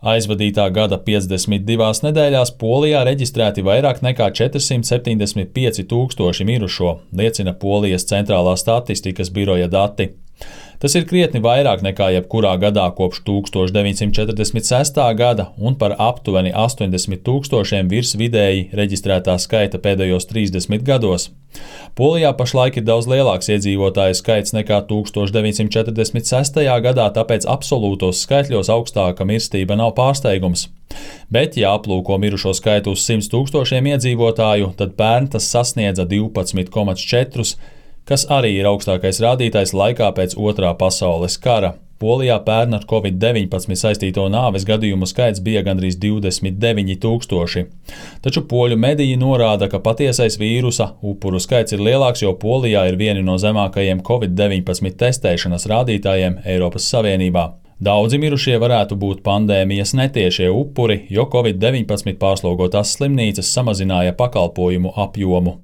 Aizvadītā gada 52 nedēļās Polijā reģistrēti vairāk nekā 475 000 mirušo, liecina Polijas centrālā statistikas biroja dati. Tas ir krietni vairāk nekā jebkurā gadā kopš 1946. gada un par aptuveni 80 000 virs vidēji reģistrētā skaita pēdējos 30 gados. Polijā pašlaik ir daudz lielāks iedzīvotāju skaits nekā 1946. gadā, tāpēc absolūtos skaitļos augstāka mirstība nav pārsteigums. Bet, ja aplūko mirušo skaitu uz 100 000 iedzīvotāju, tad pērn tas sasniedza 12,4, kas arī ir augstākais rādītājs laikā pēc Otrā pasaules kara. Polijā pērn ar Covid-19 saistīto nāves gadījumu skaits bija gandrīz 29 000. Taču poļu mediji norāda, ka patiesais vīrusa upuru skaits ir lielāks, jo Polijā ir vieni no zemākajiem Covid-19 testēšanas rādītājiem Eiropas Savienībā. Daudzi mirušie varētu būt pandēmijas netiešie upuri, jo Covid-19 pārslogotās slimnīcas samazināja pakalpojumu apjomu.